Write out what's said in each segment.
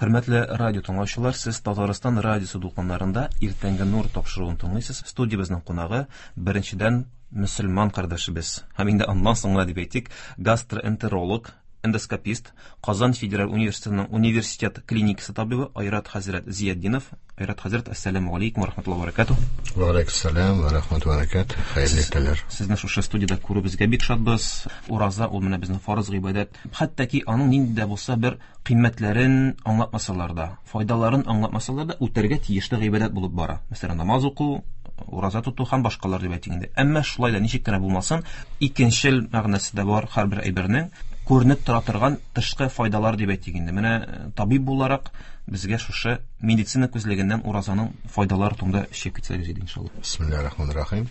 Хөрмәтле радио тыңлаучылар, сез Татарстан радиосы дулкыннарында Иртәнге нур тапшыруын тыңлыйсыз. Студиябезнең кунагы беренчедән мөселман кардәшебез һәм инде аннан соң гына дип әйтик, гастроэнтеролог, эндоскопист, Казан федераль университетының университет клиникасы табибы Айрат хәзрәт Зиятдинов. Айрат хәзрәт, ассаламу алейкум ва рахматуллаһи ва баракатуһ. Ва алейкум ва рахматуллаһи ва баракатуһ. Хәерле иртәләр. Сезне шушы студиядә күрүебезгә бик шатбыз. Ураза ул менә безнең фарыз гыйбадәт. Хәтта ки аның нинди дә булса бер кыйммәтләрен аңлатмасалар да, файдаларын аңлатмасалар да, үтәргә тиешле гыйбадәт булып бара. Мәсәлән, намаз уку, ураза тоту һәм башкалар дип әйтик инде. Әмма шулай да ничек кенә булмасын, икенчел мәгънәсе дә бар һәрбер әйбернең күренеп тора торган тышкы файдалар дип әйтик инде. Менә табиб буларак безгә шушы медицина күзлегеннән уразаның файдалары турында сөйләп китсәгез иде, иншалла. Бисмиллаһир-рахманир-рахим.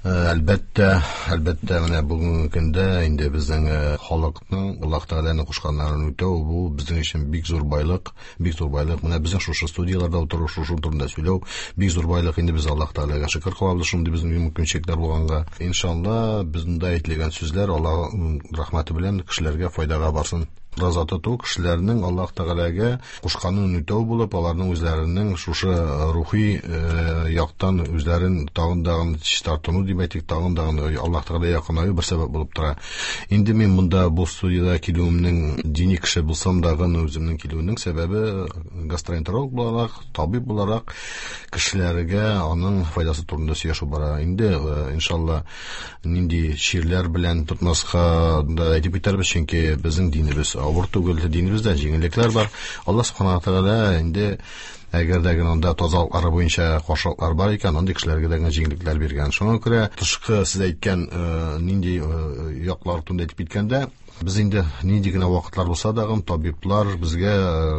Әлбәттә, әлбәттә, менә бүгенге көндә инде безнең халыкның Аллаһ Тәгаләнең кушканнарын үтәү бу безнең өчен бик зур байлык, бик зур байлык. Менә безнең шушы студияләрдә утыру, шушы турында сөйләү бик зур байлык. Инде без Аллаһ Тәгаләгә шөкер кылабыз шундый безнең мөмкинчелекләр булганга. Иншалла, безнең дә әйтелгән сүзләр Аллаһ рәхмәте белән кешеләргә файдага барсын. Ураза тоту кешеләрнең Аллаһ Тәгаләгә кушканын үтәү булып, аларның үзләренең шушы рухи яктан үзләрен тагын дагын чистартыну дип әйтик, тагын дагын Аллаһ Тәгаләгә якынаю бер сәбәп булып тора. Инде мин монда бу студиядә килүемнең дини кеше булсам дагын үземнең килүенең сәбәбе гастроэнтеролог буларак, табиб буларак кешеләргә аның файдасы турында сөйләшү бара. Инде иншалла нинди чирләр белән тотмаска да әйтеп китәрбез, чөнки безнең динебез авыр түгел, динебездә җиңеллекләр бар. Аллаһ субхана тәгалә инде әгәр дә генә анда тазалыклары буенча каршылыклар бар икән, андый кешеләргә дә генә җиңеллекләр биргән. Шуңа күрә тышкы сез әйткән нинди яклар турында әйтеп киткәндә, без инде нинди генә вакытлар булса да, табиблар безгә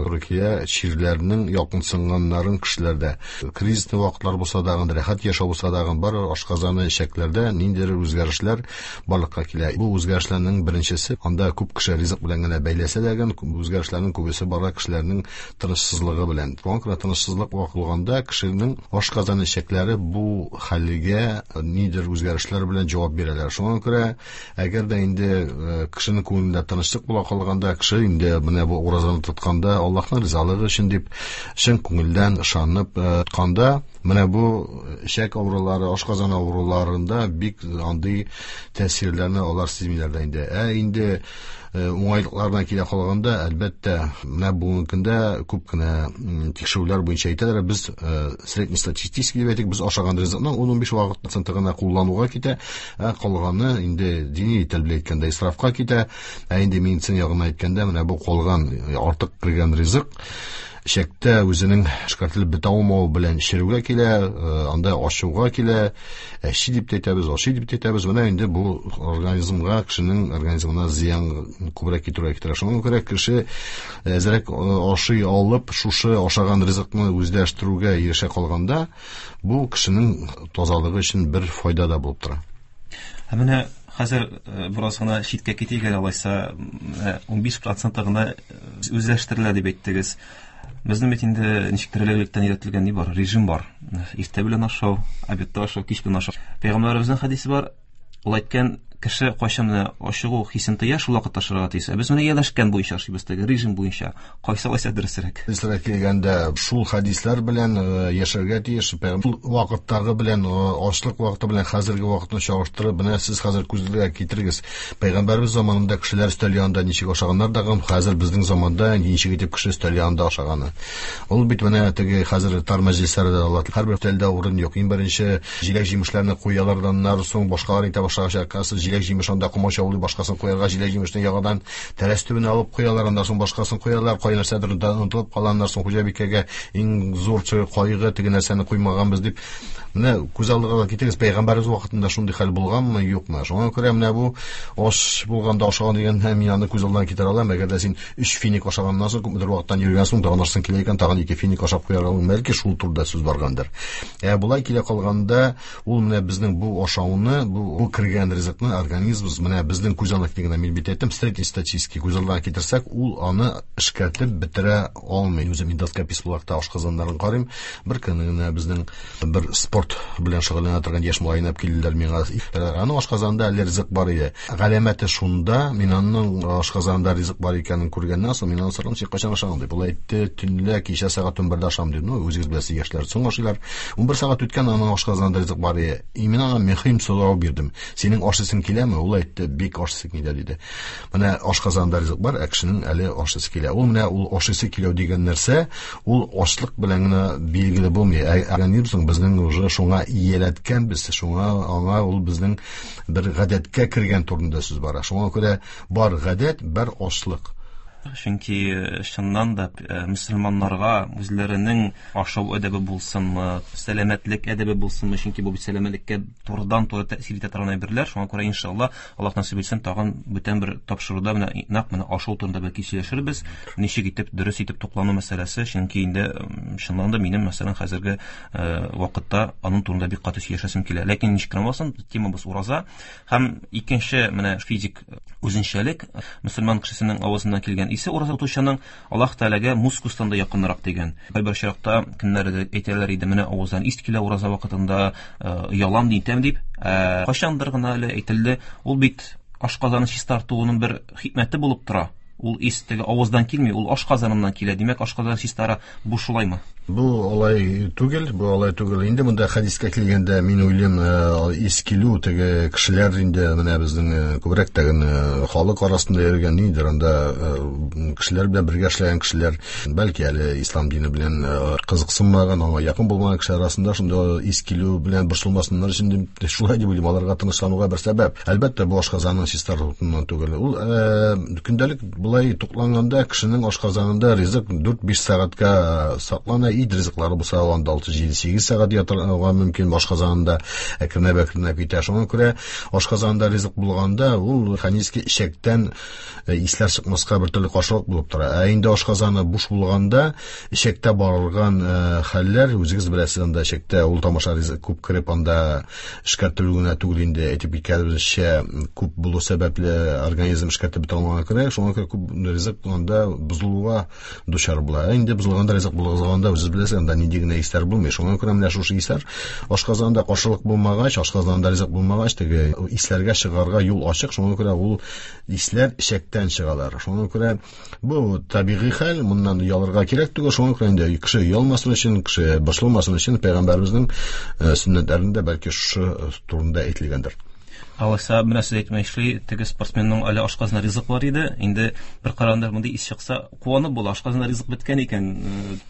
туры килә чирләрнең якынсынганнарын кешеләрдә. Кризисный вакытлар булса да, рәхәт яшәү булса да, бар ашказаны, эчәкләрдә ниндидер үзгәрешләр барлыкка килә. Бу үзгәрешләрнең беренчесе, анда күп кеше ризык белән генә бәйләсә дә, үзгәрешләрнең күбесе бара кешеләрнең тынычсызлыгы белән. Шуңа күрә тынычсызлык булганда кешенең ашказаны эчәкләре бу хәлгә нидер үзгәрешләр белән җавап бирәләр. Шуңа күрә әгәр дә инде кешенең күңелендә тынычлык була калганда, кеше инде менә бу уразаны тотканда Аллаһның ризалыгы өчен дип чын күңелдән ышанып тотканда, менә бу эчәк авырулары, ашказаны авыруларында бик андый тәэсирләрне алар сизмиләр дә инде. Ә инде уңайлыкларына килә калганда, әлбәттә, менә бүгенге көндә күп кенә тикшерүләр буенча әйтәләр, без среднестатистический дип әйтик, без ашаган ризыкның 10-15 вакыт проценты гына куллануга китә, ә калганы инде дини тел белән әйткәндә исрафка китә. Ә инде медицина ягыннан әйткәндә, менә бу калган артык кергән ризык эчәктә үзенең эшкәртелеп бетә алмавы белән черүгә килә, анда ачуга килә, әчи дип тә әйтәбез, ачи дип тә әйтәбез. Менә инде бу организмга, кешенең организмына зыян күбрәк китерүгә китерә. Шуңа күрә кеше әзрәк ашый алып, шушы ашаган ризыкны үзләштерүгә ирешә калганда, бу кешенең тазалыгы өчен бер файда да булып тора. Ә менә хәзер бераз гына читкә китик әле, алайса, 15% гына үзләштерелә дип әйттегез. Безнең бит инде ничектер элек-электән өйрәтелгән ни бар, режим бар. Иртә белән ашау, обедта ашау, кич белән ашау. Пәйгамбәребезнең хәдисе бар, ул әйткән, кеше кайчан менә ачыгу хисен тоя, шул вакытта ашарга тиеш. Ә без менә ияләшкән буенча ашыйбыз, теге режим буенча. Кайсы алайса дөресрәк? Дөресрәк килгәндә, шул хәдисләр белән яшәргә тиеш. Шул вакыттагы белән, ачлык вакыты белән хәзерге вакытны чагыштырып, менә сез хәзер күзгә китерегез. Пәйгамбәребез заманында кешеләр өстәл янында ничек ашаганнар да, хәзер безнең заманда ничек итеп кеше өстәл янында ашаганы. Ул бит менә теге хәзер тар мәҗлесләрдә алар һәрбер өстәлдә урын юк. Иң беренче җиләк-җимешләрне куялар да, аннары соң башкалар итә башлагач, аркасы җиләк-җимеш анда комачаулый, башкасын куярга, җиләк-җимешне яңадан тәрәз төбенә алып куялар, аннан соң башкасын куялар, кай нәрсәдер онытылып кала, аннан соң хуҗабикәгә иң зур кайгы, теге нәрсәне куймаганбыз дип. Менә күз алдыгызга китерегез, пәйгамбәребез вакытында шундый хәл булганмы, юкмы? Шуңа күрә менә бу аш булганда ашаган дигән, мин аны күз алдына китерә алам. Әгәр дә син 3 финик ашаганнан соң күпмедер вакыттан йөргән соң, тагын ашасың килә икән, тагын 2 финик ашап куярга, бәлки шул турыда сүз баргандыр. Ә болай килә калганда, ул менә безнең бу ашауны, бу кергән ризыкны Организмыбыз, менә безнең күз алдына килгәндә, мин бит әйттем, среднестатистический күз алдына китерсәк, ул аны эшкәртеп бетерә алмый. Үзем эндоскопист буларак та ашказаннарын карыйм. Бер көнне генә безнең бер спорт белән шөгыльләнә торган яшь малайны алып килделәр миңа. Аның ашказанында әле ризык бар иде. Галәмәте шунда, мин аның ашказанында ризык бар икәнен күргәннән соң, мин аны сорадым, син кайчан ашадың дип. Ул әйтте, төнлә кичә сәгать 11-дә ашадым дип. Ну, үзегез беләсез, яшьләр соң ашыйлар. 11 сәгать үткән, аның ашказанында ризык бар иде. И мин аңа мөһим сорау бирдем. Синең ашыйсың киләме? Ул әйтте, бик ашыйсы килә диде. Менә ашказанында ризык бар, ә кешенең әле ашыйсы килә. Ул менә ул ашыйсы килү дигән нәрсә, ул ачлык белән генә билгеле булмый. Ә организм безнең уже шуңа ияләткәнбез, шуңа аңа ул безнең бер гадәткә кергән турында сүз бара. Шуңа күрә бар гадәт, бар ачлык. Чөнки чыннан да мөселманнарга үзләренең ашау әдәбе булсынмы, сәламәтлек әдәбе булсынмы, чөнки бу бит сәламәтлеккә турыдан-туры тәэсир итә торган әйберләр. Шуңа күрә иншалла, Аллаһ насыйп итсен, тагын бүтән бер тапшыруда менә нәкъ менә ашау турында бәлки сөйләшербез. Ничек итеп дөрес итеп туклану мәсьәләсе, чөнки инде чыннан да минем, мәсәлән, хәзерге вакытта аның турында бик каты сөйләшәсем килә. Ләкин ничек кенә булмасын, темабыз ураза. Һәм икенче менә физик үзенчәлек, мөселман кешесенең авызыннан килгән исе ураза тотучының Аллаһ Тәгаләгә мускустан да якынрак дигән. Кайбер очракта кемнәр әйтәләр иде, менә авыздан ис килә ураза вакытында, оялам, нитәм дип. Кайчандыр гына әле әйтелде, ул бит ашказаны чистартуының бер хикмәте булып тора. Ул ис теге авыздан килми, ул ашказаныннан килә. Димәк, ашказан чистара. Бу шулаймы? Бу алай түгел, бу алай түгел. Инде монда хәдискә килгәндә, мин уйлыйм, ис килү теге кешеләр инде менә безнең күбрәк тәген халык арасында йөргән ниндидер анда кешеләр белән бергә эшләгән кешеләр, бәлки әле ислам дине белән кызыксынмаган, аңа якын булмаган кешеләр арасында шунда ис килү белән борчылмасыннар өчен дип, шулай дип уйлыйм, аларга тынычлануга бер сәбәп. Әлбәттә, бу ашказанның чистартуыннан түгел. Ул көндәлек Болай тукланганда кешенең ашказанында ризык 4-5 сәгатькә саклана. Ит ризыклары булса, анда 6-7-8 сәгать ятырга мөмкин ашказанында, әкренләп-әкренләп китә. Шуңа күрә ашказанында ризык булганда, ул механически эчәктән исләр чыкмаска бер төрле каршылык булып тора. Ә инде ашказаны буш булганда, эчәктә барылган хәлләр, үзегез беләсез, анда эчәктә ул тамаша ризык күп кереп, анда эшкәртелү генә түгел инде, әйтеп киткәнебезчә, күп булу сәбәпле организм эшкәртеп бетә алмаганга күрә, шуңа күрә күп ризык анда бозылуга дучар була. Ә инде бозылганда ризык бозылганда, үзегез беләсез, анда нинди генә исләр булмый. Шуңа күрә менә шушы исләр ашказанында каршылык булмагач, ашказанында ризык булмагач, теге исләргә чыгарга юл ачык, шуңа күрә ул исләр эчәктән чыгалар. Шуңа күрә Бу табигый хәл, моннан оялырга кирәк түгел. Шуңа күрә инде кеше оялмасын өчен, кеше борчылмасын өчен пәйгамбәребезнең сөннәтләрендә бәлки шушы турында әйтелгәндер. Алайса, менә сез әйтмешли, теге спортсменның әле ашказанында ризык бар иде. Инде бер караганда мондый ис чыкса, куанып була, ашказанында ризык беткән икән,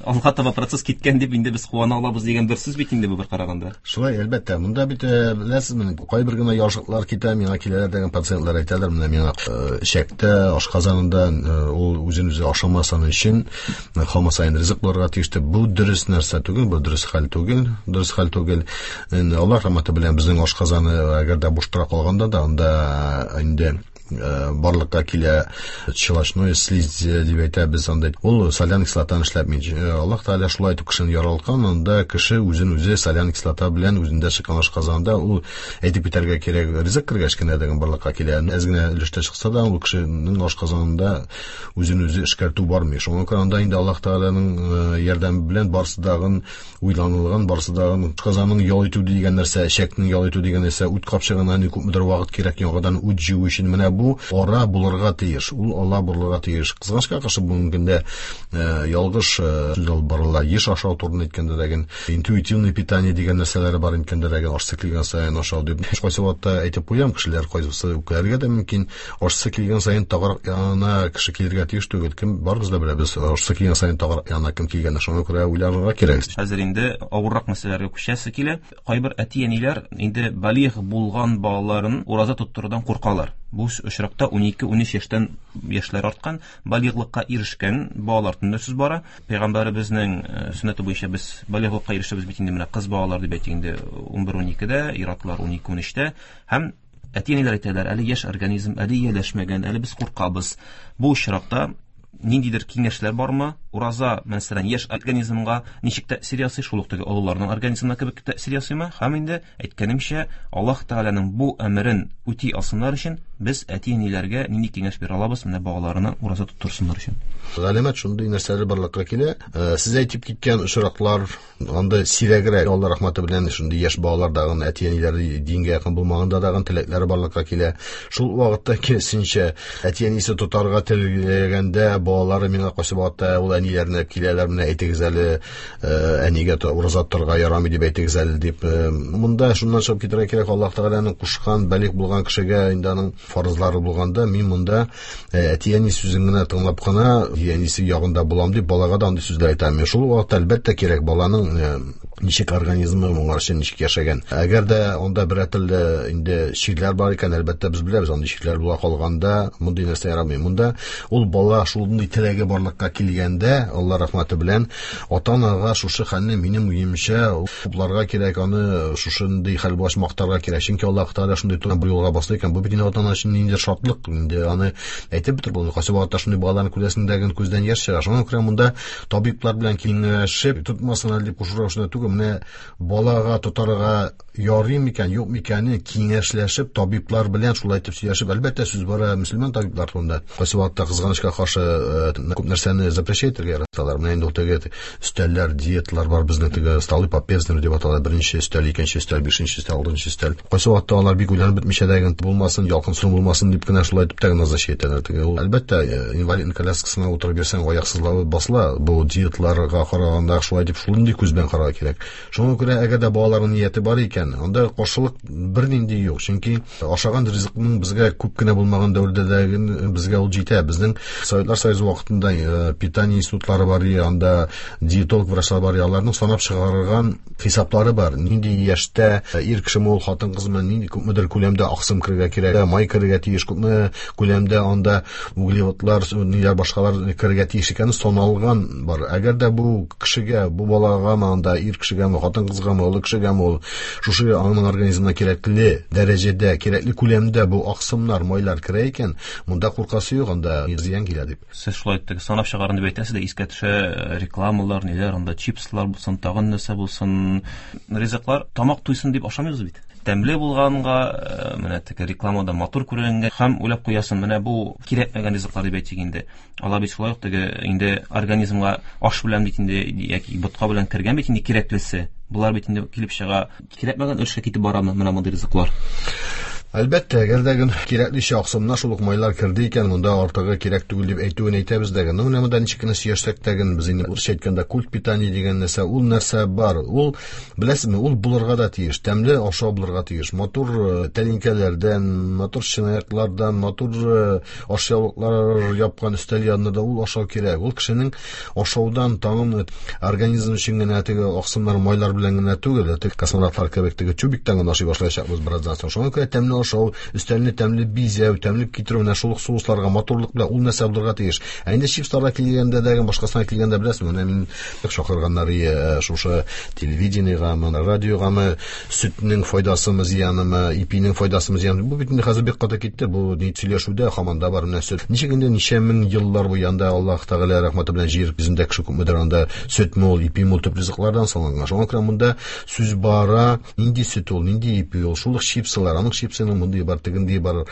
алга таба процесс киткән дип инде без куана алабыз дигән бер сүз бит инде бу бер караганда. Шулай, әлбәттә. Монда бит, беләсезме, кайбер генә яршыклар китә, миңа киләләр дигән пациентлар әйтәләр, менә миңа эчәктә, ашказанында ул үзен үзе ашамасын өчен һаман саен ризык булырга тиеш дип. Бу дөрес нәрсә түгел, бу дөрес хәл түгел, дөрес хәл түгел. Инде Аллаһ рәхмәте белән безнең ашказаны әгәр дә буш тора калганда да, анда инде барлыкка килә щелочной слизь дип әйтәбез анда. Ул солян кислотаны эшләтми. Аллаһ Тәгалә шулай итеп кешене яралткан, анда кеше үзен үзе солян кислота белән үзендә чыккан ашказанында ул әйтеп китәргә кирәк ризык кергәч кенә дигән барлыкка килә. Әз генә өлештә чыкса да, ул кешенең ашказанында үзен үзе эшкәртү бармый. Шуңа күрә анда инде Аллаһ Тәгаләнең ярдәме белән барысы дагын уйланылган, барысы да казанның ял итү дигән нәрсә, эчәкнең ял итү дигән нәрсә, үт капчыгына ни күпмедер вакыт кирәк яңадан үт җыю өчен. Менә бу ара булырга тиеш, ул ала булырга тиеш. Кызганычка каршы, бүгенге көндә ялгыш сүз алып барыла. Еш ашау турында әйткәндә дә, интуитивное питание дигән нәрсәләре бар әйткәндә дә, ашсы килгән саен ашау дип. Кайсы вакытта әйтеп куям, кешеләр кайсысы үпкәләргә дә мөмкин. Ашсы килгән саен тагарак янына кеше килергә тиеш түгел. Кем барыбыз да беләбез, ашсы килгән саен тагарак янына кем килгәнен. Шуңа күрә уйланырга кирәк. Хәзер инде авыррак мәсьәләләргә күчәсе килә. Кайбер әти-әниләр инде балигъ булган балаларын ураза тоттырудан куркалар. Бу очракта 12-13 яшьтән яшьләр арткан, балигълыкка ирешкән балалар турында сүз бара. Пәйгамбәребезнең сөннәте буенча без балигълыкка ирешәбез бит инде менә кыз балалар дип әйтик инде 11-12дә, ир-атлар 12-13тә һәм Әти-әниләр әйтәләр, әле яшь организм, әле ияләшмәгән, әле без куркабыз. Бу очракта ниндидер киңәшләр бармы? Ураза, мәсәлән, яшь организмга ничек тәэсир ясый, шул ук теге олыларның организмына кебек тәэсир ясыймы? Һәм инде әйткәнемчә, Аллаһ Тәгаләнең бу әмерен үти алсыннар өчен без әти-әниләргә нинди киңәш бирә алабыз, менә балаларына ураза тоттырсыннар өчен? Галәмәт шундый нәрсәләр барлыкка килә. Сез әйтеп киткән очраклар анда сирәгрәк. Алла рәхмәте белән шундый яшь балалар дагын, әти-әниләре дингә якын булмаганда дагын теләкләре барлыкка килә. Шул вакытта киресенчә, әти-әнисе тотарга теләгәндә балалары миңа кайсы вакытта ул әниләренә киләләр, менә әйтегез әле, әнигә ураза тотарга ярамый дип әйтегез әле дип. Монда шуннан чыгып китәргә кирәк, Аллаһ Тәгаләнең кушкан балигъ булган кешегә инде аның фарызлары булганда, мин монда әти-әни сүзен генә тыңлап кына, әнисе ягында булам дип балага да андый сүзләр әйтә алмыйм. Шул вакытта әлбәттә кирәк баланың ничек организмы моңарчы ничек яшәгән. Әгәр дә анда берәр төрле инде чирләр бар икән, әлбәттә без беләбез, андый чирләр була калганда мондый нәрсә ярамый. Монда ул бала шундый теләге барлыкка килгәндә, Алла рәхмәте белән, ата-анага шушы хәлне минем уемча хупларга кирәк, аны шушындый хәл булгач мактарга кирәк. Чөнки Аллаһ Тәгалә шундый бу юлга басты икән, бу бит инде ата-ана өчен ниндидер шатлык, инде аны әйтеп бетереп булмый. Кайсы вакытта шундый балаларны күрәсең дә, күздән яшь чыга. Шуңа күрә монда табиблар белән киңәшеп, тотмасын әле дип кушу рәвешендә түгел, менә балага тотарга ярый микән, юк микәне киңәшләшеп, табиблар белән шулай итеп сөйләшеп, әлбәттә, сүз бара мөселман табиблар турында. Кайсы вакытта кызганычка каршы күп нәрсәне запрещать итәргә яраталар. Менә инде ул теге өстәлләр, диеталар бар, безнең теге столы по Певзнеру дип атала, беренче өстәл, икенче өстәл, бишенче өстәл, алтынчы өстәл. Кайсы вакытта алар бик уйланып бетмичә дә булмасын, ялкынсыну булмасын дип кенә шулай итеп тә назначать итәләр. Теге ул, әлбәттә, инвалидный коляскасына утырып йөрсәң, аяк сызлавы басыла. Бу диетларга караганда шулай дип шундый күз белән карарга кирәк. Шуңа күрә әгәр дә балаларның нияте бар икән, анда каршылык бернинди юк. Чөнки ашаган ризыкның безгә күп кенә булмаган дәвердә дә безгә ул җитә. Безнең Советлар Союзы вакытында питание институтлары бар, анда диетолог врачлар бар, аларның санап чыгарган хисаплары бар. Нинди яшьтә ир кешеме ул, хатын кызмы, нинди күпмедер күләмдә аксым керергә кирәк, май керергә тиеш, күпме күләмдә анда углеводлар, ниләр башкалар керергә тиеш икәне саналган бар. Әгәр дә бу кешегә, бу балагамы, анда ир кешегәме, хатын кызгамы, олы кешегәме ул, шушы аның организмына кирәкле дәрәҗәдә, кирәкле күләмдә бу аксымнар, майлар керә икән, монда куркасы юк, анда зыян килә дип. Сез шулай итеп санап чыгарын дип әйтәсез дә, искә төшә рекламалар, ниләр, анда чипслар булсын, тагын нәрсә булсын, ризыклар тамак туйсын дип ашамыйбыз бит. Тәмле булганга, менә теге рекламада матур күренгәнгә һәм уйлап куясың, менә бу кирәкмәгән ризыклар дип әйтик инде. Алар бит шулай ук теге инде организмга аш белән бит инде яки ботка белән кергән бит инде кирәклесе. Болар бит инде килеп чыга, кирәкмәгән өлешкә китеп барамы менә мондый ризыклар? Әлбәттә, әгәр дә гын кирәклечә аксымнар шул ук майлар керде икән, монда артыгы кирәк түгел дип әйтүен әйтәбез дә. Ну, менә монда ничек кенә сөйләшсәк тә ген, без инде урысча әйткәндә культ питания дигән нәрсә, ул нәрсә бар. Ул, беләсезме, ул булырга да тиеш, тәмле ашау булырга тиеш. Матур тәлинкәләрдән, матур чынаяклардан, матур ашъяулыклар япкан өстәл янында да ул ашау кирәк. Ул кешенең ашаудан тагын организм өчен генә теге аксымнар, майлар белән генә түгел, теге космонавтлар кебек теге тюбиктан гына ашый башлаячакбыз бераздан соң. Шуңа күрә тәмле ашау, өстәлне тәмле бизәү, тәмле китерү, менә шул ук соусларга матурлык белән ул нәрсә булырга тиеш. Ә инде чипсларга килгәндә дә, башкасына килгәндә беләсезме, менә мин чакырганнар шушы телевидениегәме, радиогамы, сөтнең файдасымы, зыянымы, ипинең файдасымы, зыянымы. Бу бит инде хәзер бик каты китте. Бу ни сөйләшүдә һаман да бар менә сөт. Ничек инде ничә мең еллар буе анда Аллаһ Тәгалә рәхмәте белән җир йөзендә кеше күпмедер анда сөт мул, ипи мул төп ризыклардан салынган. Шуңа күрә монда сүз бара, нинди сөт ул, нинди ипи ул, шул ук чипсылар, аның чипсының мондый бар, тегендей бар.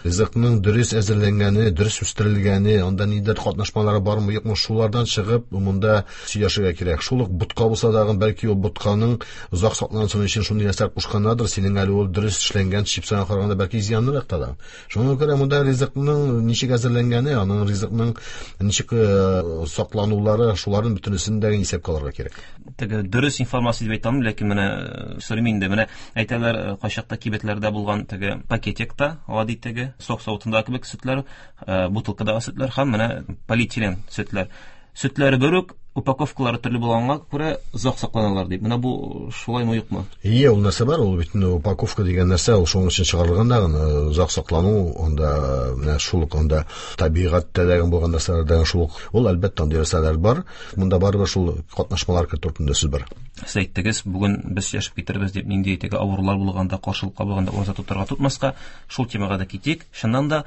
Ризыкның дөрес әзерләнгәне, дөрес үстерелгәне, анда ниндидер катнашмалары бармы, юкмы, шулардан чыгып монда сөйләшергә кирәк. Шул ук ботка булса дагы, бәлки ул ботканың озак саклансын өчен шундый нәрсә кушканнардыр, синең әле ул дөрес эшләнгән чипсыңа караганда бәлки зыянлырак та да. Шуңа күрә монда ризыкның ничек әзерләнгәне, аның ризыкның ничек сакланулары, шуларның бөтенесен дә исәпкә алырга кирәк. Теге дөрес информация дип әйтә алмыйм, ләкин менә сорыйм инде, менә әйтәләр, кайчакта кибетләрдә булган теге пакетикта, гади теге сок савытындагы кебек сөтләр, бутылкадагы сөтләр һәм менә полиэтилен сөтләр. Сөтләре бер үк, упаковкалары төрле булганга күрә озак сакланалар дип. Менә бу шулаймы, юкмы? Ие, ул нәрсә бар, ул бит инде упаковка дигән нәрсә, ул шуның өчен чыгарылган да, озак саклану, анда менә шул ук анда табигатьтә дә булган нәрсәләр дә шул ук. Ул әлбәттә андый нәрсәләр бар. Монда барыбер шул катнашмалар кертү турында сүз бар. Сез әйттегез, бүген без сөйләшеп китербез дип, нинди теге авырулар булганда, каршылыкка булганда ураза тотарга тотмаска, шул темага да китик. Чыннан да,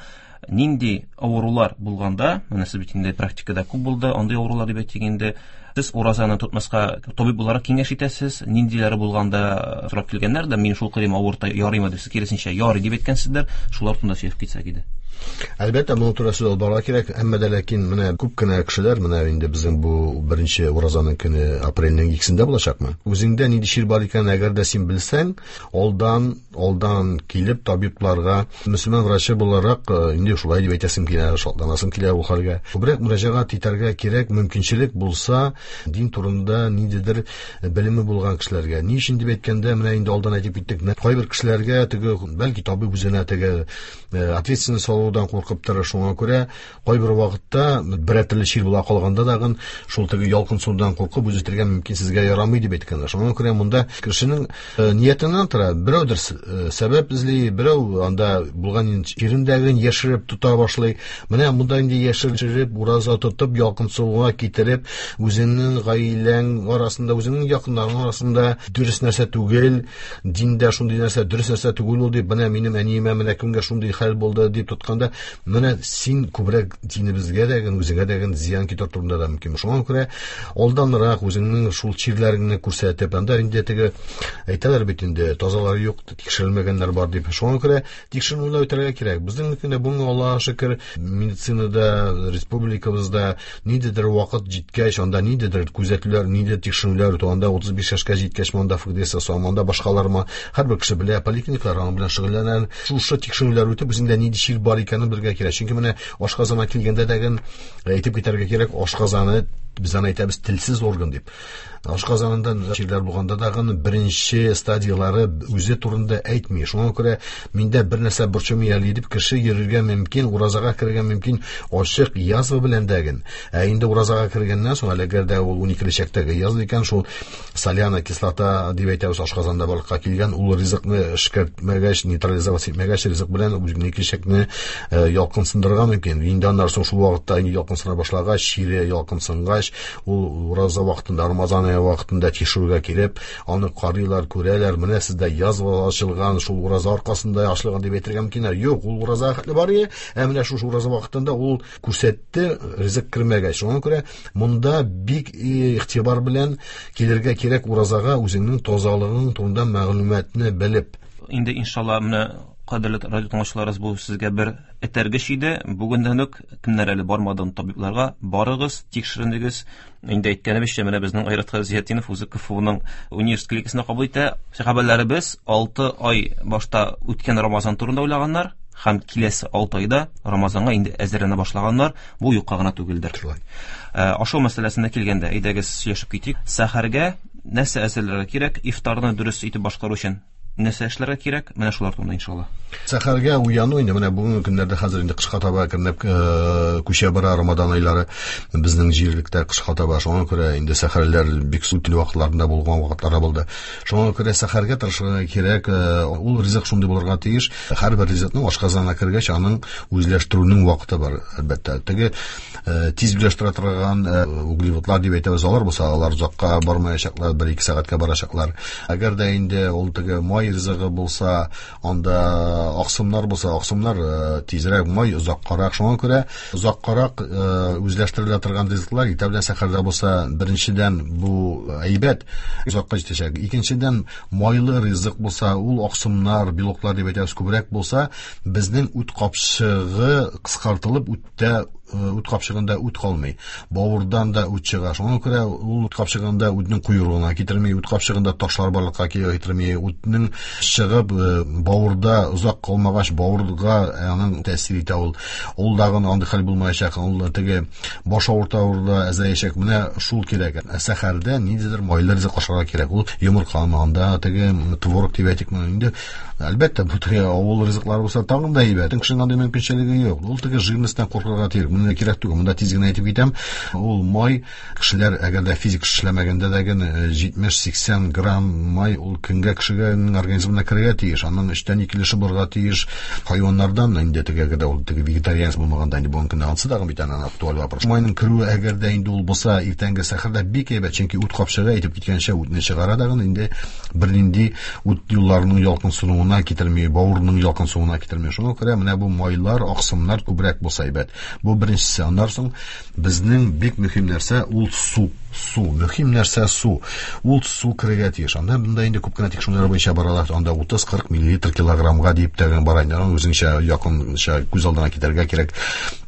Нинди авырулар булганда, менә сез бит инде практикада күп булды, андый авырулар дип әйтик инде, сез уразаны тотмаска табиб буларак киңәш итәсез, ниндиләре булганда сорап килгәннәр дә, мин шул кадәр авырта ярыймы дип, сез киресенчә ярый дип әйткәнсездер, шулар турында сөйләп китсәк иде. Әлбәттә, моның турында сүз алып барырга кирәк, әмма дә ләкин менә күп кенә кешеләр, менә инде безнең бу беренче уразаның көне апрельнең 2-сендә булачакмы? Үзеңдә нинди чир бар икәнен әгәр дә син белсәң, алдан килеп табибларга, мөселман врачы буларак, инде шулай дип әйтәсем килә, шатланасым килә ул хәлгә. Күбрәк мөрәҗәгать итәргә кирәк, мөмкинчелек булса, дин турында ниндидер белеме булган кешеләргә. Ни өчен дип әйткәндә, менә инде алдан әйтеп киттек, менә кайбер кешеләргә теге, бәлки табиб үзенә теге ответственность алудан куркып тора, шуңа күрә кайбер вакытта берәр төрле чир була калганда дагын шул теге ялкынсынудан куркып үзе әйтергә мөмкин, сезгә ярамый дип әйткәннәр. Шуңа күрә монда кешенең ниятеннән тора, берәүдер сәбәп эзли, берәү анда булган чирендәген яшереп тота башлый. Менә монда инде яшереп, ураза тотып, ялкынсынуга китереп, үзеңнең гаиләң арасында, үзеңнең якыннарың арасында дөрес нәрсә түгел, диндә шундый нәрсә дөрес нәрсә түгел ул дип, менә минем әниемә менә кемгә шундый хәл булды дип тотканда, менә син күбрәк динебезгә дә, үзеңә дә зыян китерү турында да мөмкин. Шуңа күрә алданрак үзеңнең шул чирләреңне күрсәтеп, анда инде теге әйтәләр бит инде, тазалар юк, тикшерелмәгәннәр бар дип. Шуңа күрә тикшеренүләр үтәргә кирәк. Безнең көндә бүген, Аллаһка шөкер, медицинада, республикабызда ниндидер вакыт җиткәч, анда ниндидер күзәтүләр, ниндидер тикшеренүләр үтү, анда 35 яшькә җиткәч, монда ФГДС ясау, монда башкалармы, һәрбер кеше белә, поликлиникалар аның белән шөгыльләнә. Шушы тикшеренүләр үтеп, үзеңдә нинди чир бар икәнен белергә кирәк. Чөнки менә ашказанга килгәндә дә әйтеп китәргә кирәк, ашказаны, без аны әйтәбез, телсез орган дип. Ашказанында чирләр булганда да беренче стадиялары үзе турында әйтми. Шуңа күрә миндә бер нәрсә борчымый әле дип кеше йөрергә мөмкин, уразага керергә мөмкин ачык язва белән дәген. Ә инде уразага кергәннән соң, әле әгәр дә ул уникеле чәктәге язва икән, шул соляная кислота дип әйтәбез, ашказанда барлыкка килгән, ул ризыкны эшкәртмәгәч, нейтрализовать итмәгәч, ризык белән уникеле чәкне ялкынсындырырга мөмкин. Инде аннан соң шул вакытта инде ялкынсына башлагач, чире ялкынсынгач, ул ураза вакытында, Рамазан ае вакытында тикшерүгә килеп, аны карыйлар, күрәләр, менә сездә язва ачылган, шул ураза аркасында ачылган дип әйтергә мөмкиннәр. Юк, ул ураза хәтле бар иде, ә менә шушы ураза вакытында ул күрсәтте, ризык кермәгәч. Шуңа күрә монда бик игътибар белән килергә кирәк уразага, үзеңнең тазалыгың турында мәгълүматны белеп. Инде иншалла менә кадерле радио тыңлаучыларыбыз, бу сезгә бер этәргеч иде. Бүгеннән үк кемнәр әле бармадын табибларга, барыгыз, тикшеренегез. Инде әйткәнебезчә, менә безнең Айрат Зиятдинов үзе КФУның университет клиникасында кабул итә. Сәхабәләребез 6 ай башта үткән Рамазан турында уйлаганнар һәм киләсе 6 айда Рамазанга инде әзерләнә башлаганнар. Бу юкка гына түгелдер. Шулай. Ашау мәсьәләсенә килгәндә, әйдәгез сөйләшеп китик. Сәхәргә нәрсә әзерләргә кирәк, ифтарны дөрес итеп башкару өчен нәрсә эшләргә кирәк? Менә шулар турында иншалла. Сәхәргә уяну инде менә бүгенге көннәрдә хәзер инде кышка таба әкренләп күчә бара Рамазан айлары безнең җирлектә кышка таба. Шуңа күрә инде сәхәрләр бик суык вакытларында булган вакытлар булды. Шуңа күрә сәхәргә тырышырга кирәк. Ул ризык шундый булырга тиеш. Һәрбер ризыкның ашказанына кергәч, аның үзләштерүнең вакыты бар, әлбәттә. Теге тиз үзләштерә торган углеводлар дип әйтәбез, алар булса, алар озакка бармаячаклар, бер-ике сәгатькә барачаклар. Әгәр дә инде ул теге май ризыгы булса, анда аксымнар булса, аксымнар тизрәк, май озаккарак. Шуңа күрә озаккарак үзләштерелә торган ризыклар иртә белән сәхәрдә булса, беренчедән бу әйбәт, озакка җитәчәк. Икенчедән, майлы ризык булса, ул аксымнар, белоклар дип әйтәбез, күбрәк булса, безнең үт капчыгы кыскартылып, үт капчыгында үт калмый. Бавырдан да үт чыга. Шуңа күрә ул үт капчыгында үтнең куюлыгына китерми, үт капчыгында ташлар барлыкка китерми, үтнең чыгып бавырда озак калмагач, бавырга аның тәэсир итә ул. Ул дагын андый хәл булмаячак, ул теге баш авыртуы да әзәячәк. Менә шул кирәк. Ә сәхәрдә ниндидер майлы ризык ашарга кирәк. Ул йомыркамы, анда теге творог дип әйтикме инде. Әлбәттә, бу теге авыл ризыклары булса тагын да әйбәт. Кешенең андый мөмкинчелеге юк. Ул теге жирностьтан куркырга тиеш. Менә кирәк түгел. Монда тиз генә әйтеп китәм. Ул май кешеләр әгәр дә физик эшләмәгәндә дә генә 70-80 грамм май ул көнгә кешегә организмына керергә тиеш. Аның өчтән ике өлеше булырга тиеш. Хайваннардан инде теге әгәр дә ул теге вегетарианец булмаганда инде бүгенге көндә ансы дагы бит аннан актуаль вопрос. Майның керүе әгәр дә инде ул булса иртәнге сәхәрдә бик әйбәт, чөнки үт капчыгы әйтеп киткәнчә үтне чыгара дагы инде бернинди үт юлларының ялкынсынуына китерми, бавырның ялкынсынуына китерми. Шуңа күрә менә бу майлар, аксымнар күбрәк булса әйбәт. Бу беренчесе. Аннан соң безнең бик мөһим нәрсә ул су. Су, мөһим нәрсә су. Ул су керергә тиеш. Анда монда инде күп кенә тикшерүләр буенча баралар. Анда 30-40 миллилитр килограммга дип тә бара инде. Аны үзеңчә якынча күз алдына китерергә кирәк.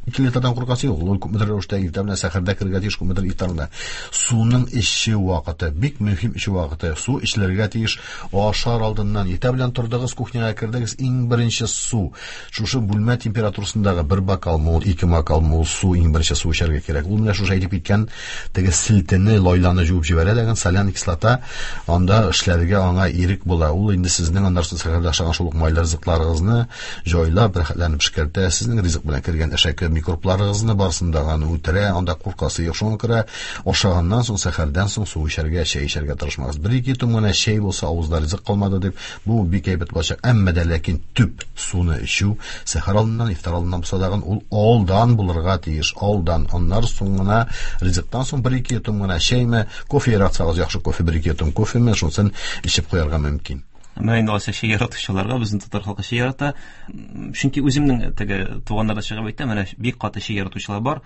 2 литрдан куркасы юк. Ул күпмедер рәвештә иртә белән сәхәрдә керергә тиеш, күпмедер ифтарда. Суның эчү вакыты, бик мөһим эчү вакыты. Су эчелергә тиеш. Ашар алдыннан иртә белән тордыгыз, кухняга кердегез, иң беренче су. Шушы бүлмә температурасындагы бер бокалмы ул, ике бокалмы ул су, иң беренче су эчәргә кирәк. Ул менә шушы әйтеп киткән теге селтене, лайланы җуып җибәрә дигән соляный кислота анда эшләргә аңа ирек була. Ул инде сезнең аннан соң сәхәрдә ашаган шул ук майлы ризыкларыгызны җайлап, рәхәтләнеп эшкәртә, сезнең ризык белән кергән әшәке микробларыгызны барысын да аны үтерә, анда куркасы юк. Шуңа күрә ашаганнан соң, сәхәрдән соң су эчәргә, чәй эчәргә тырышмагыз. Бер-ике йотым гына чәй булса, авызда ризык калмады дип, бу бик әйбәт булачак. Әмма дә ләкин төп суны эчү сәхәр алдыннан, ифтар алдыннан булса дагын ул алдан булырга тиеш, алдан. Аннары соң гына ризыктан соң бер-ике йотым гына чәйме, кофе яратсагыз, яхшы кофе, бер-ике йотым кофеме, шунысын эчеп куярга мөмкин. Менә инде алайса чәй яратучыларга, безнең татар халкы чәй ярата. Чөнки үземнең теге туганнарда чыгып әйтәм, менә бик каты чәй яратучылар бар.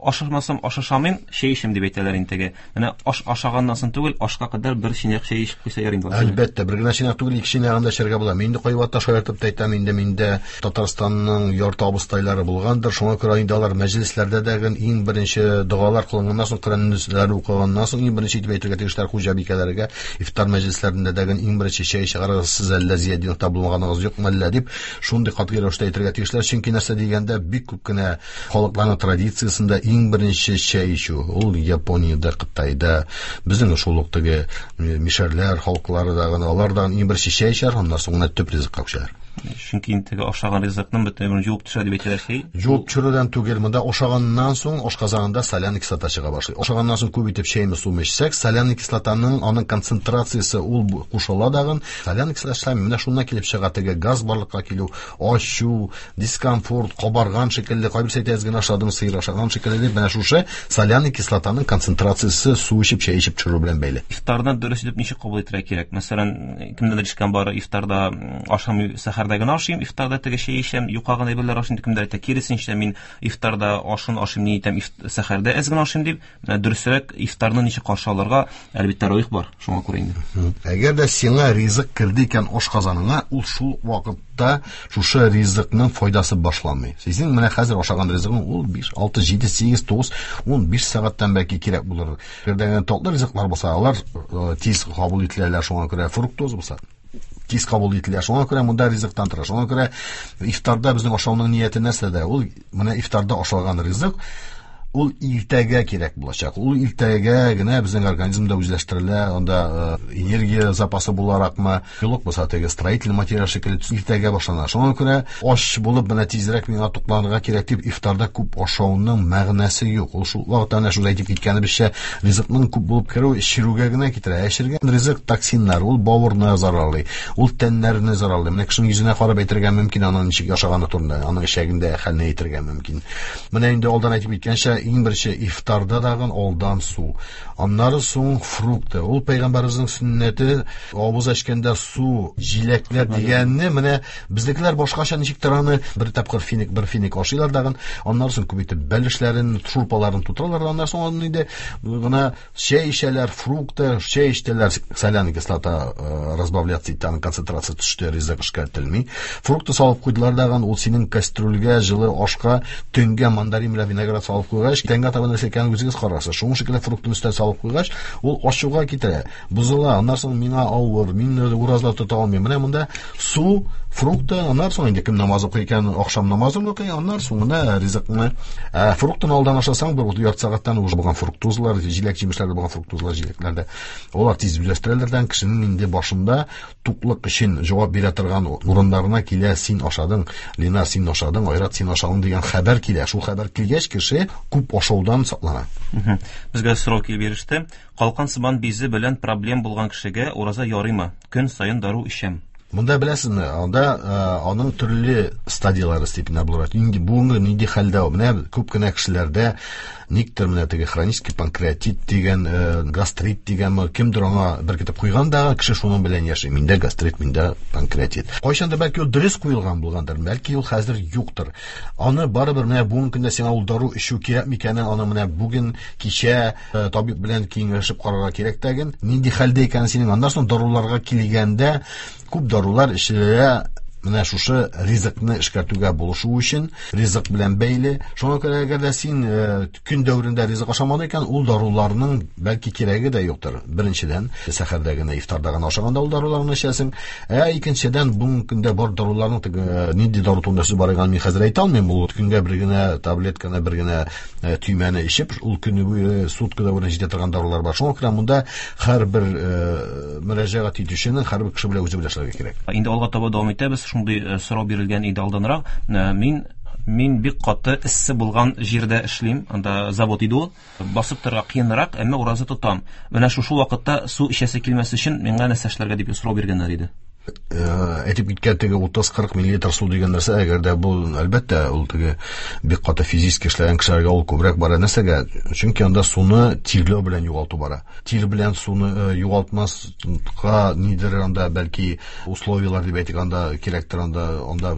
Ашамасам, аш ашамыйм, чәй эчәм дип әйтәләр инде теге. Менә аш ашаганнан соң түгел, ашка кадәр бер чынаяк чәй эчеп куйса ярый инде. Әлбәттә, бер генә чынаяк түгел, ике чынаягын да эчәргә була. Мин инде кайвакытта шаяртып та әйтәм, инде миндә Татарстанның ярты абыстайлары булгандыр. Шуңа күрә инде алар мәҗлесләрдә дә иң беренче догалар кылынганнан соң, Коръәннәр укыганнан соң иң беренче итеп әйтергә тиешләр хуҗабикәләргә, ифтар мәҗлесләрендә дә иң беренче чәй чыгарыгыз, сез әллә Зиятдиновта булмаганыгыз юкмы әллә дип, шундый катгый рәвештә әйтергә тиешләр. Чөнки нәрсә дигәндә, бик күп кенә халыкларның традициясендә иң беренче чәй эчү, ул Япониядә, Кытайда, безнең шул ук теге мишәрләр халыклары да, алар да иң беренче чәй эчәр, аннан соң гына төп ризыкка күчәләр. Чөнки инде теге ашаган ризыкның бөтен җуып төшә дип әйтәләр чәй. Җуып төшерүдән түгел, монда ашаганнан соң ашказанында соляный кислота чыга башлый. Ашаганнан соң күп итеп чәйме суымы эчсәк, соляный кислотаның аның концентрациясе ул кушыла дагын, соляный кислота эшләми. Менә шуннан килеп чыга теге газ барлыкка килү, ачу, дискомфорт, кабарган шикелле, кайберсе әйтә, әз генә ашадым, сыер ашаган шикелле дип, менә шушы соляный кислотаның концентрациясе су эчеп, чәй эчеп төшерү белән бәйле. Ифтарны дөрес итеп ничек кабул итәргә кирәк? Мәсәлән, кемдәдер ишеткән бар, ифтарда ашамый, сәхәрдә генә ашыйм, ифтарда теге чәй эчәм, юка гына әйберләр ашыйм, кемдер әйтә, киресенчә, мин ифтарда ашын ашыйм, ни итәм, сәхәрдә әз генә ашыйм дип. Менә дөресрәк ифтарны ничек каршы алырга, әлбәттә, тәравих бар, шуңа күрә инде. Әгәр дә сиңа ризык керде икән ашказаныңа, ул шул вакытта шушы ризыкның файдасы башланмый. Синең менә хәзер ашаган ризыгың ул 5, 6, 7, 8, 9, 15 сәгатьтән бәлки кирәк булыр. Әгәр дә татлы ризыклар булса, алар тиз кабул ителәләр, шуңа күрә фруктоза булса тиз кабул ителә. Шуңа күрә монда ризыктан тора. Шуңа күрә ифтарда безнең ашауның нияте нәрсәдә? Ул менә ифтарда ашалган ризык ул иртәгә кирәк булачак. Ул иртәгә генә безнең организмда үзләштерелә, анда энергия запасы буларакмы, белок булса теге строительный материал шикелле иртәгә башлана. Шуңа күрә ач булып менә тизрәк миңа тукланырга кирәк дип ифтарда күп ашауның мәгънәсе юк. Ул шул вакытта әнә шул әйтеп киткәнебезчә ризыкның күп булып керү эчерүгә генә китерә. Ә эчергән ризык токсиннар, ул бавырны зарарлый, ул тәннәрне зарарлый. Менә кешенең йөзенә карап әйтергә мөмкин аның ничек яшаганы турында, аның эчәгендә хәлне әйтергә мөмкин. Менә инде алдан әйтеп киткәнчә, иң беренче ифтарда дагын алдан су. Аннары соң фрукты. Ул пәйгамбәребезнең сөннәте, авыз эчкәндә су, җиләкләр дигәнне менә безнекеләр башкача ничектер аны бер тапкыр финик, бер финик ашыйлар дагын, аннары соң күп итеп бәлешләрен, шурпаларын тутыралар, аннары соң аны инде гына чәй эчәләр, фрукты, чәй эчтеләр, соляная кислота разбавляться итә, аның концентрация төште, ризык эшкәртелми. Фрукты салып куйдылар дагын, ул синең кастрюльгә, җылы ашка, төнгә мандарин белән виноград салып куйгач, куйгач, тәнгә таба нәрсә икәнен үзегез карарсыз. Шуның шикелле фруктын өстән салып куйгач, ул ачуга китерә, бозыла. Аннан соң миңа авыр, мин ураза тота алмыйм. Менә монда су, фрукты, аннан соң инде кем намаз укый икән, ахшам намазын укый, аннан соң гына ризыкны. Ә фруктын алдан ашасаң, бер ярты сәгатьтән уже булган фруктозлар, җиләк-җимешләрдә булган фруктозлар, җиләкләрдә. Алар тиз үзләштерәләр дә, кешенең инде башында туклык өчен җавап бирә торган урыннарына килә, син ашадың, Лена, син ашадың, Айрат, син ашадың дигән хәбәр килә. Шул хәбәр килгәч, кеше күп ашаудан саклана. Безгә сорау килеп иреште. Калкан сыман бизе белән проблем булган кешегә ураза ярыймы? Көн саен дару эчәм. Монда беләсезме, анда аның төрле стадияләре степенә булыр. Инде бүгенге нинди хәлдә ул? Менә күп кенә кешеләрдә никтер менә теге хронический панкреатит дигән, гастрит дигәнме, кемдер аңа беркетеп куйган да, кеше шуның белән яши. Миндә гастрит, миндә панкреатит. Кайчандыр бәлки ул дөрес куелган булгандыр, бәлки ул хәзер юктыр. Аны барыбер менә бүгенге көндә сиңа ул дару эчү кирәк микәнен, аны менә бүген кичә табиб белән киңәшеп карарга кирәк тәген. Нинди хәлдә икәнен синең. Аннан соң даруларга килгәндә, күп дарулар эчелә менә шушы ризыкны эшкәртүгә булышу өчен, ризык белән бәйле. Шуңа күрә әгәр дә син көн дәверендә ризык ашамадың икән, ул даруларның бәлки кирәге дә юктыр. Беренчедән, сәхәрдә генә, ифтарда гына ашаганда ул даруларны эчәсең. Ә икенчедән, бүгенге көндә бар даруларның теге, нинди дару турында сүз бар икәнен мин хәзер әйтә алмыйм. Ул көнгә бер генә таблетканы, бер генә төймәне эчеп, ул көне буе сутка дәверенә җитә торган дарулар бар. Шуңа күрә монда һәрбер мөрәҗәгать итүченең һәрбер кеше белән үзе белән эшләргә кирәк. Инде алга таба дәвам итәбез. Шундый сорау бирелгән иде алданрак. Мин бик каты эссе булган җирдә эшлим. Анда завод иде ул. Басып торырга кыенрак, әмма ураза тотам. Менә шушы вакытта су эчәсе килмәс өчен миңа нәрсә эшләргә дип сорау биргәннәр иде. Әйтеп киткән теге 30-40 миллилитр су дигән нәрсә, әгәр дә бу, әлбәттә, ул теге бик каты физически эшләгән кешеләргә ул күбрәк бара. Нәрсәгә? Чөнки анда суны тирләү белән югалту бара. Тир белән суны югалтмаска нидер анда бәлки условияләр дип әйтик, анда кирәктер, анда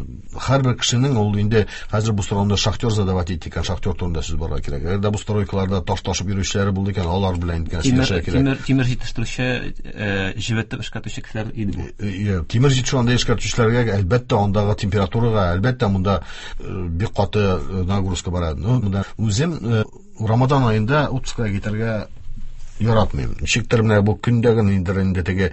һәрбер кешенең ул инде хәзер бу сорауны шахтер задавать итте икән, шахтер турында сүз барырга кирәк. Әгәр дә бу стройкаларда таш ташып йөрүчеләре булды икән, алар белән икән сөйләшергә кирәк. Тимер җитештерүче, җебетеп эшкәртүче кешеләр иде бу. Тимер җитештерү анда эшкәртүчеләргә әлбәттә андагы температурага, әлбәттә монда бик каты нагрузка бара. Ну, монда үзем Рамадан аенда отпускка китәргә яратмыйм. Ничектер менә бу көндә генә инде инде теге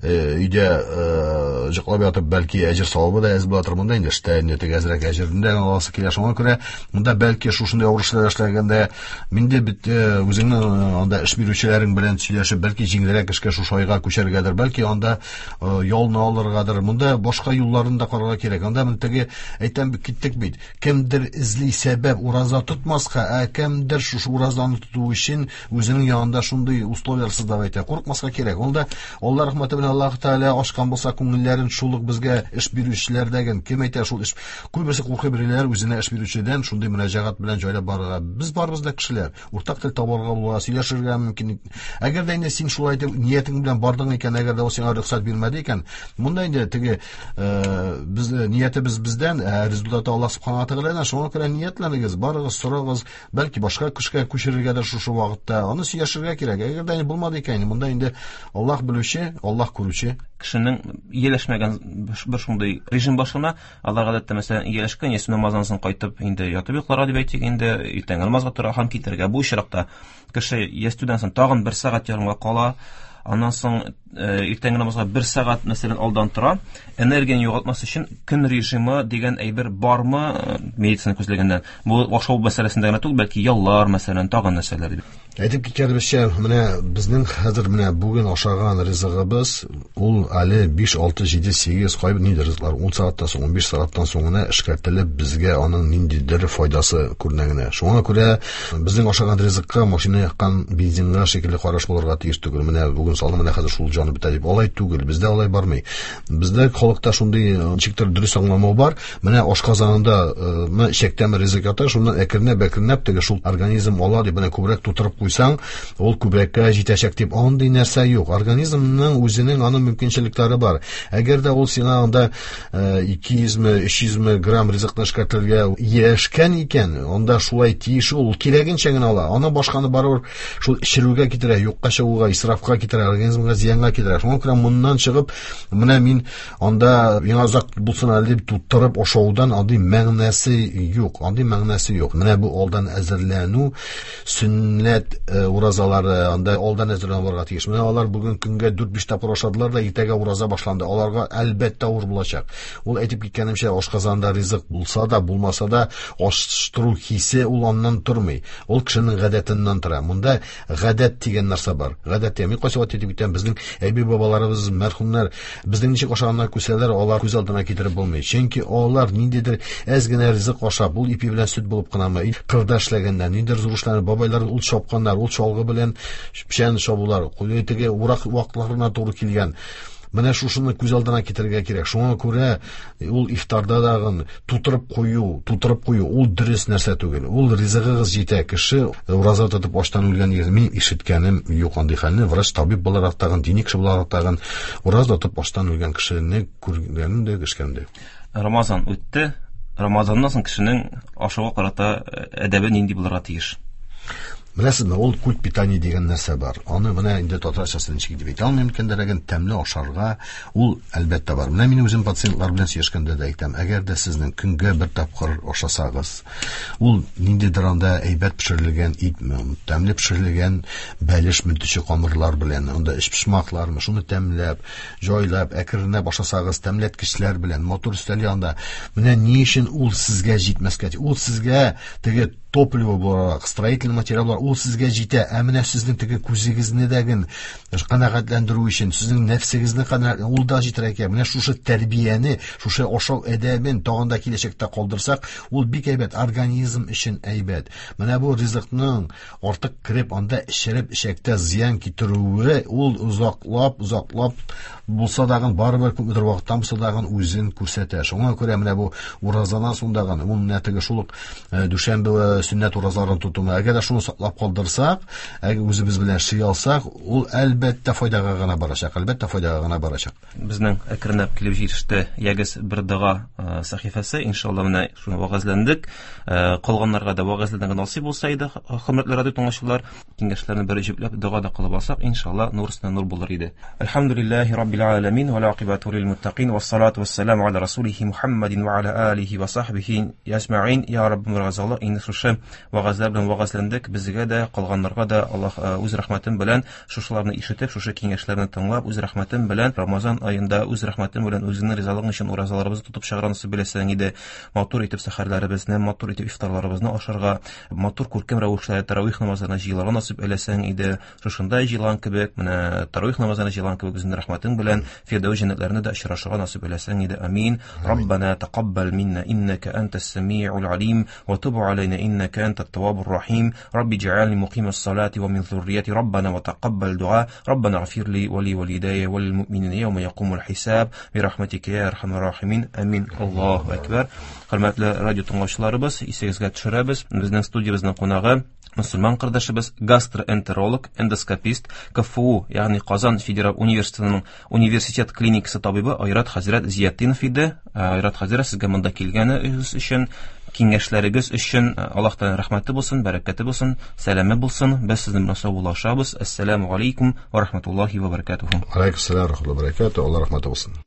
өйдә йоклап ятып, бәлки әҗер савабы да әз була тор. Монда инде эштә инде теге әзрәк әҗерне дә аласы килә. Шуңа күрә монда бәлки шушындый авыр эшләр эшләгәндә инде бит үзеңнең анда эш бирүчеләрең белән сөйләшеп, бәлки җиңелрәк эшкә шушы айга күчәргәдер, бәлки анда ялны алыргадыр. Монда башка юлларын да карарга кирәк. Анда менә теге әйтәм, киттек бит. Кемдер эзли сәбәп ураза тотмаска, ә кемдер шушы уразаны тоту өчен үзенең янында шундый условияләр создавать итә. Курыкмаска кирәк. Ул да Алла рәхмәте белән Аллаһ Тәгалә ачкан булса күңелләрен шул ук безгә эш бирүчеләрдәген кем әйтә шул эш. Күбесе куркый беләләр үзенә эш бирүчедән шундый мөрәҗәгать белән җайлап барырга. Без барыбыз да кешеләр. Уртак тел табарга була, сөйләшергә мөмкин. Әгәр дә инде син шулай итеп ниятең белән бардың икән, әгәр дә ул сиңа рөхсәт бирмәде икән, монда инде теге без ниятебез бездән, ә результаты Аллаһ субхана ва тәгаләдән. Шуңа күрә ниятләнегез, барыгыз, сорагыз, бәлки башка кешегә күчерергә дә шушы вакытта. Аны сөйләшергә кирәк. Әгәр дә инде булмады икән, монда инде Аллаһ белүче, Аллаһ күрүче. Кешенең ияләшмәгән бер шундый режим башлана. Алар гадәттә, мәсәлән, ияләшкән, яисә намаздан соң кайтып, инде ятып йокларга дип әйтик, инде иртәнге намазга тора һәм китәргә. Бу очракта кеше ястүдән соң тагын бер сәгать ярымга кала, аннан соң иртәнге намазга бер сәгать, мәсәлән, алдан тора. Энергияне югалтмас өчен көн режимы дигән әйбер бармы медицина күзлегеннән? Бу ашау мәсьәләсендә генә түгел, бәлки яллар, мәсәлән, тагын нәрсәләр дип. Әйтеп киткәнебезчә, менә безнең хәзер менә бүген ашаган ризыгыбыз ул әле 5, 6, 7, 8 кайбер нинди ризыклар 10 сәгатьтән соң, 15 сәгатьтән соң гына эшкәртелеп безгә аның ниндидер файдасы күренә генә. Шуңа күрә безнең ашаган ризыкка машина яккан бензинга шикелле караш булырга тиеш түгел. Менә бүген салдым, менә хәзер шул җаны бетә дип. Алай түгел, бездә алай бармый. Бездә халыкта шундый ничектер дөрес аңламау бар. Менә ашказанында, менә эчәктәме ризык ята, шуннан әкренләп-әкренләп теге шул организм ала дип менә күбрәк тутырып куйсаң, ул күбрәккә җитәчәк дип, андый нәрсә юк. Организмның үзенең аның мөмкинчелекләре бар. Әгәр дә ул сиңа анда 200-ме, 300-ме грамм ризыкны эшкәртергә ияләшкән икән, анда шулай тиеш ул, кирәгенчә генә ала. Аны башканы барыбер шул эчерүгә китерә, юкка чыгуга, исрафка китерә, организмга зыянга китерә. Шуңа күрә моннан чыгып, менә мин анда миңа озак булсын әле дип тутырып ашаудан андый мәгънәсе юк, андый мәгънәсе юк. Менә бу алдан әзерләнү, сөннәт уразалары анда алдан әзерләнү булырга тиеш. Менә алар бүген көнгә 4-5 тапкыр ашадылар да, иртәгә ураза башланды. Аларга әлбәттә авыр булачак. Ул әйтеп киткәнемчә, ашказанында ризык булса да, булмаса да, аштыру хисе ул аннан тормый. Ул кешенең гадәтеннән тора. Монда гадәт дигән нәрсә бар. Гадәт дигән. Мин кайсы вакыт әйтеп китәм, безнең әби-бабаларыбыз, мәрхүмнәр безнең ничек ашаганнар күрсәләр, алар күз алдына китереп булмый. Чөнки алар ниндидер әз генә ризык ашап, ул ипи белән сөт булып кынамы, кырда эшләгәннәр, ниндидер зур эшләрне бабайлар ул чапканнар, ул чалгы белән печән чабулар, теге урак вакытларына туры килгән. Менә шушыны күз алдына китерергә кирәк. Шуңа күрә ул ифтарда дагын тутырып кую, тутырып кую ул дөрес нәрсә түгел. Ул ризыгыгыз җитә. Кеше ураза тотып аштан үлгән дигән мин ишеткәнем юк андый хәлне. Врач, табиб буларак тагын, дини кеше буларак тагын ураза тотып аштан үлгән кешене күргәнем дә, ишеткәнем дә юк. Рамазан үтте. Рамазаннан соң кешенең ашауга карата әдәбе нинди булырга тиеш? Беләсезме, ул культ питания дигән нәрсә бар. Аны менә инде татарчасын ничек дип әйтә алмыйм икән, ләкин тәмле ашарга ул әлбәттә бар. Менә мин үзем пациентлар белән сөйләшкәндә дә әйтәм, әгәр дә сезнең көнгә бер тапкыр ашасагыз, ул ниндидер анда әйбәт пешерелгән итме, тәмле пешерелгән бәлешме, төче камырлар белән, анда эчпочмаклармы, шуны тәмләп, җайлап, әкренләп ашасагыз, тәмләткечләр белән, матур өстәл янында, менә ни өчен ул сезгә җитмәскә? Ул сезгә теге топливо буларак, строительный материал буларак, ул сезгә җитә. Ә менә сезнең теге күзегезне дәген канәгатьләндерү өчен, сезнең нәфсегезне канәгать, ул да җитәргә кирәк. Менә шушы тәрбияне, шушы ашау әдәбен тагын да киләчәктә калдырсак, ул бик әйбәт, организм өчен әйбәт. Менә бу ризыкның артык кереп, анда эчереп, эчәктә зыян китерүе, ул озаклап, озаклап булса дагын, барыбер күпмедер вакыттан булса дагын үзен күрсәтә. Шуңа күрә менә бу уразадан соң дагын, ул менә теге шул ук дүшәмбе сөннәт уразаларын тотуны, әгәр дә шуны саклап калдырсак, әгәр үзебез белән эшли алсак, ул әлбәттә файдага гына барачак, әлбәттә файдага гына барачак. Безнең әкренләп килеп җитеште ягез бер дога сәхифәсе, иншалла, менә шуны вәгазьләндек. Калганнарга да вәгазьләнергә насыйп булса иде, хөрмәтле радио тыңлаучылар, киңәшләрне бер җөпләп дога да кылып алсак, иншалла, нур өстенә нур булыр иде. Әлхәмдүлилләһи раббил аламин ва акибату лил муттакин ва салату вассаламу аля расулихи Мухаммадин ва аля алихи ва сахбихи әҗмәгин. Я Раббым, разалык, инде шушы вәгазьләр белән вәгазьләндек, безгә дә, калганнарга да Аллаһ үз рәхмәтен белән шушыларны ишетеп, шушы киңәшләрне тыңлап, үз рәхмәтен белән Рамазан аенда үз рәхмәтен белән үзеңнең ризалыгың өчен уразаларыбызны тотып чыгарга насыйп итсәң иде. Матур итеп сәхәрләребезне, матур итеп ифтарларыбызны ашарга, матур күркәм рәвештә таравих намазына җыелырга насыйп әйләсәң иде. Шушында җыелган кебек, менә таравих намазына җыелган кебек үзеңнең рәхмәтең белән Фирдәүс җәннәтләрендә дә очрашырга насыйп әйләсәң иде. Амин. Раббана тақаббал минна иннака антас самиул алим ва туб алейна иннака антат таввабур рахим. Рабби джаални мукимас салати ва мин зуррияти раббана ва тақаббал дуа. Раббана гфир ли ва ли валидайя ва лил муъминина яума якумул хисаб би рахматика я архамар рахимин. Амин. Аллаһу акбар. Хөрмәтле радио тыңлаучыларыбыз, исегезгә төшерәбез, безнең студиябезнең кунагы мөселман кардәшебез, гастроэнтеролог, эндоскопист, КФУ, ягъни Казан федераль университетының университет клиникасы табибы Айрат хәзрәт Зиятдинов иде. Айрат хәзрәт, сезгә монда килгәнегез өчен, киңәшләрегез өчен Аллаһ Тәгаләнең рәхмәте булсын, бәрәкәте булсын, сәламе булсын. Без сезнең белән саубуллашабыз. Әссәламу алейкум ва рахматуллахи ва баракатуху. Алейкум ассалам ва рахматуллахи ва баракатуху. Аллаһ рәхмәте булсын.